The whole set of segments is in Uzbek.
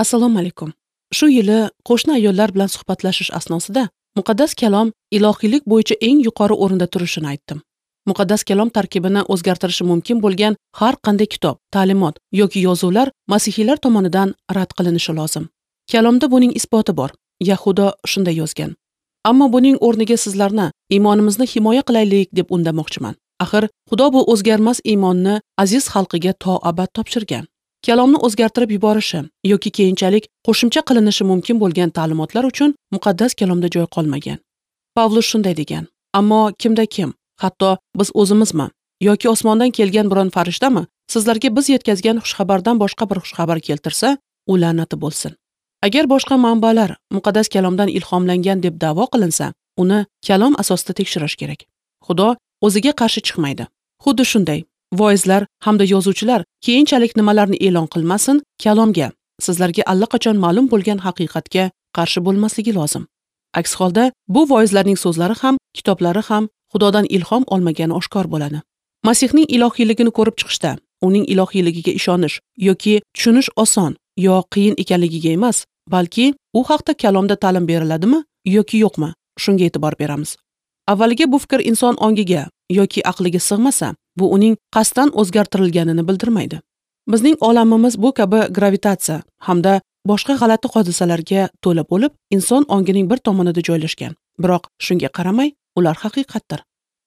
Assalomu alaykum. Shu yili qo'shni ayollar bilan suhbatlashish asnosida muqaddas kalom ilohiylik bo'yicha eng yuqori o'rinda turishini aytdim. Muqaddas kalom tarkibini o'zgartirishi mumkin bo'lgan har qanday kitob, ta'limot yoki yozuvlar masihiylar tomonidan rad qilinishi lozim. Kalomda buning isboti bor. Yahudo shunday yozgan: Ammo buning o'rniga sizlarni iymonimizni himoya qilaylik deb undamoqchiman. Axir Xudo bu o'zgarmas iymonni aziz xalqiga to abad topshirgan. Kalomni o'zgartirib yuborishi yoki keyinchalik qo'shimcha qilinishi mumkin bo'lgan ta'limotlar uchun muqaddas kalomda joy qolmagan. Pavlus shunday degan: Ammo kimda kim, hatto biz o'zimizmi yoki osmondan kelgan biron farishtami sizlarga biz yetkazgan xushxabardan boshqa bir xushxabar keltirsa, u la'nati bo'lsin. Agar boshqa manbalar muqaddas kalomdan ilhomlangan deb da'vo qilinsa, uni kalom asosida tekshirish kerak. Xudo o'ziga qarshi chiqmaydi. Xuddi shunday, voizlar hamda yozuvchilar keyinchalik nimalarni e'lon qilmasin, kalomga, sizlarga allaqachon ma'lum bo'lgan haqiqatga qarshi bo'lmasligi lozim. Aks holda bu voizlarning so'zlari ham, kitoblari ham Xudodan ilhom olmagani oshkor bo'ladi. Masihning ilohiyligini ko'rib chiqishda, uning ilohiyligiga ishonish yoki tushunish oson yo qiyin ekanligiga emas, balki u haqda kalomda ta'lim beriladimi yoki yo'qmi, shunga e'tibor beramiz. Avvaliga bu fikr inson ongiga yoki aqliga sig'masa, bu uning qasddan o'zgartirilganini bildirmaydi. Bizning olamimiz bu kabi gravitatsiya hamda boshqa g'alati hodisalarga to'la bo'lib, inson ongining bir tomonida joylashgan. Biroq shunga qaramay, ular haqiqatdir.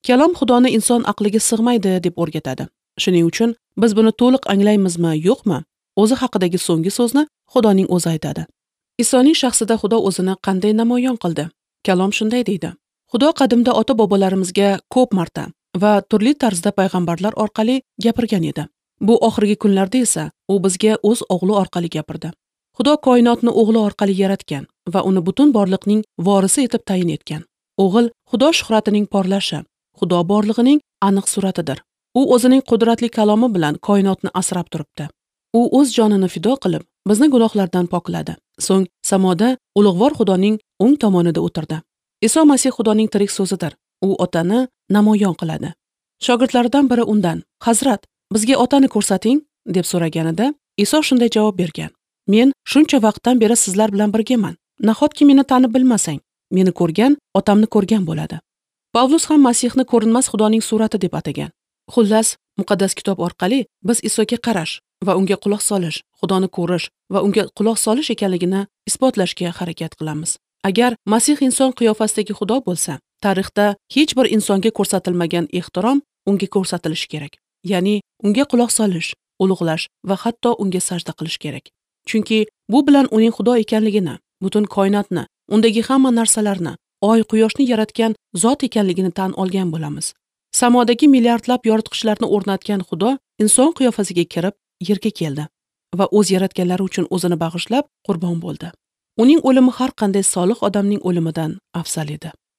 Kalom Xudoni inson aqliga sig'maydi deb o'rgatadi. Shuning uchun biz buni to'liq anglaymizmi, yo'qmi? O'zi haqidagi so'nggi so'zni Xudoning o'zi aytadi. Isoning shaxsida Xudo o'zini qanday namoyon qildi? Kalom shunday deydi: Xudo qadimda ota-bobolarimizga ko'p marta va turli tarzda payg'ambarlar orqali gapirgan edi. Bu oxirgi kunlarda esa u bizga o'z o'g'li orqali gapirdi. Xudo koinotni o'g'li orqali yaratgan va uni butun borliqning vorisi etib tayin etgan. O'g'il Xudo shuhratining porlashi, Xudo borlig'ining aniq suratidir. U o'zining qudratli kalomi bilan koinotni asrab turibdi. U o'z jonini fido qilib, bizni gunohlardan pokladi. So'ng samoda ulug'vor Xudoning o'ng tomonida o'tirdi. Iso Masih Xudoning tirik so'zidir. U otani namoyon qiladi. Shogirdlaridan biri undan: "Hazrat, bizga otani ko'rsating" deb so'raganida, Iso shunday javob bergan: "Men shuncha vaqtdan beri sizlar bilan birgaman. Nahotki meni tanib bilmasang? Meni ko'rgan otamni ko'rgan bo'ladi." Pavlus ham Masihni ko'rinmas Xudoning surati deb atagan. Xullas, muqaddas kitob orqali biz Isoga qarash va unga quloq solish, Xudoni ko'rish va unga quloq solish ekanligini isbotlashga harakat qilamiz. Agar Masih inson qiyofasidagi Xudo bo'lsa, tarixda hech bir insonga ko'rsatilmagan ehtirom unga ko'rsatilishi kerak. Ya'ni unga quloq solish, ulug'lash va hatto unga sajda qilish kerak. Chunki bu bilan uning Xudo ekanligini, butun koinotni, undagi hamma narsalarni, oy, quyoshni yaratgan zot ekanligini tan olgan bo'lamiz. Samodagi milliardlab yoritqichlarni o'rnatgan Xudo inson qiyofasiga kirib yerga keldi va o'z yaratganlari uchun o'zini bag'ishlab qurbon bo'ldi. Uning o'limi har qanday solih odamning o'limidan afzal edi.